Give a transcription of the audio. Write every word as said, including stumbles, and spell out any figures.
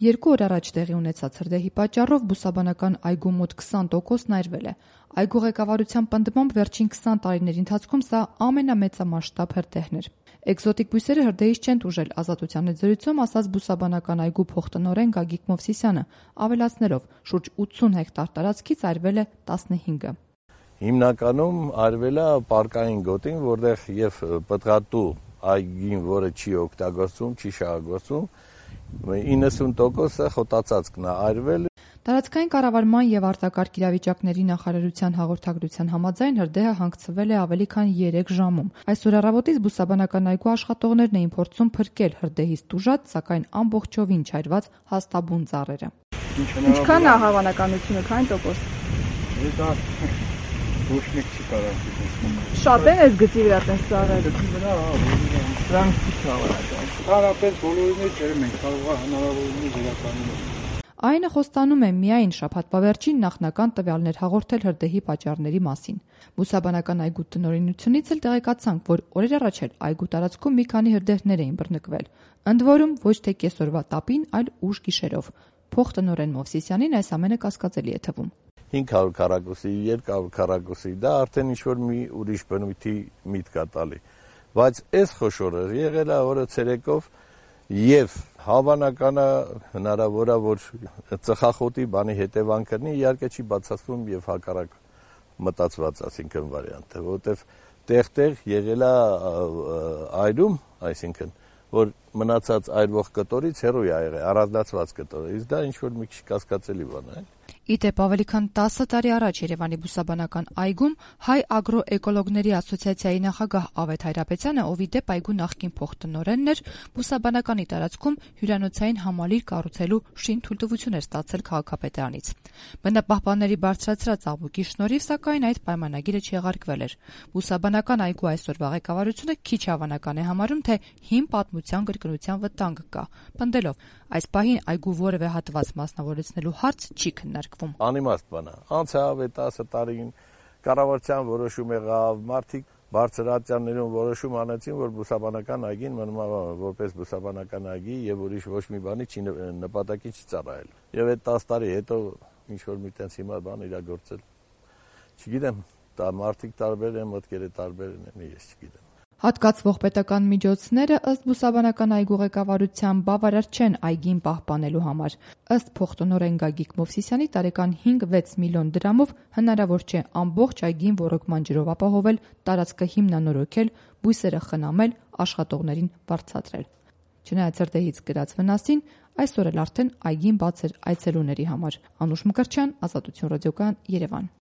Երկու օր առաջ տեղի ունեցած հրդեհի պատճառով բուսաբանական այգու մոտ քսան տոկոսն այրվել է։ Այգու ղեկավարության պնդմամբ վերջին քսան տարիների ընթացքում սա ամենամեծամասշտաբ հրդեհն էր։ Էկզոտիկ բույսերը հրդեհից չեն տուժել, Ազատության հետ զրույցում ասաց բուսաբանական այգու փոխտնօրեն Գագիկ Մովսիսյանը, ավելացնելով՝ շուրջ ութսուն հեկտար տարածքից այրվել է տասնհինգը։ Հիմնականում այրվել է պարկային գոտին, որտեղ եւ պտղատու այգին, որը չի օգտագործվում, չի շահագործվում, իննսուն տոկոսը խոտածածկն է այրվել։ Տարածքային կառավարման եւ արտակարգ իրավիճակների նախարարության հաղորդագրության համաձայն հրդեհը հանգցվել է ավելի քան երեք ժամում։ Այսօր առավոտից բուսաբանական այգու աշխատողներն էին փորձում փրկել հրդեհից տուժած, սակայն ամբողջովին չայրված հաստաբուն ծառերը։ Ինչքան է հավանականությունը, քանի տոկոս։ Դա ոչ մեկ չի կարող ասել։ Շատ են այս գծի վրա տես ծառերը։ Գծի վրա, դրանք չի հավանական։ Հարաբերս բոլորին էլ ջերմ են, կարող է հնարավորինս վերականգնել։ Այնը խոստանում է միայն շաբաթվա վերջին նախնական տվյալներ հաղորդել հրդեհի պատճառների մասին։ Բուսաբանական այգու տնօրինությունից էլ տեղեկացանք, որ օրեր առաջ էլ այգու տարածքում մի քանի հրդեհներ էին բռնկվել, ընդ որում ոչ թե կեսօրվա տապին, այլ ուշ գիշերով։ Փոխտնօրեն Մովսիսյանին այս ամենը կասկածելի է թվում։ հինգ հարյուր քառակուսի, երկու հարյուր քառակուսի, դա արդեն ինչ-որ մի ուրիշ բնույթի միտք է տալի։ Բայց այս խոշորը եղել է օրը ցերեկով եւ հավանական է հնարավոր է, որ ծխախոտի բանի հետևանք լինի, իհարկե չի բացասվում եւ հակառակ մտածված, ասինքն վարիանտը, որովհետեւ տեղ-տեղ եղել է այրում, այսինքն որ մնացած այրվող կտորից հեռու է եղել, առանձնացված կտորը, իսկ դա ինչ-որ մի քիչ կասկածելի բան է։ Ի դեպ, ավելի քան տասը տարի առաջ Երևանի բուսաբանական այգում Հայ ագրոէկոլոգների ասոցիացիայի նախագահ Ավետ Հայրապետյանը, ով ի դեպ այգու նախկին փոխտնօրենն էր, բուսաբանականի տարածքում հյուրանոցային համալիր կառուցելու շինթույլտվություն էր ստացել քաղաքապետարանից։ Բնապահպանների բարձրացրած աղմուկի շնորհիվ, սակայն, այդ պայմանագիրը չեղարկվել էր։ Բուսաբանական այգու այսօրվա ղեկավարությունը քիչ հավանական է համարում, թե հին պատմության կրկնության վտանգ կա, պնդելով՝ այս պահին այգու որևէ հատված մասնավորեցնելու հարց չի քննարկվում։ Անիմաստ բան է։ Անցյալ տասը տարին կառավարության որոշում եղավ, մարդիկ բարձր ատյաններում որոշում անեցին, որ բուսաբանական այգին մնում է որպես բուսաբանական այգի եւ ուրիշ ոչ մի բանի չի նպատակի չի ծառայել։ Եվ այդ տասը տարի հետո ինչ որ մի տենց հիմա բան իրագործել։ Չգիտեմ, դա մարդիկ տարբեր են, մտքերը տարբեր են, ես չգիտեմ։ Հատկացվող պետական միջոցները ըստ բուսաբանական այգու ղեկավարության բավարար չեն այգին պահպանելու համար։ Ըստ փոխտնօրեն Գագիկ Մովսիսյանի տարեկան հինգ-վեց միլիոն դրամով հնարավոր չէ ամբողջ այգին ոռոգման ջրով ապահովել, տարածքը հիմնանորոգել, բույսերը խնամել, աշխատողներին վարձատրել։ Չնայած հրդեհից կրած վնասին, այսօր էլ արդեն այգին բաց էր այցելուների համար։ Անուշ Մկրտչյան, Ազատություն ռադիոկայան, Երևան։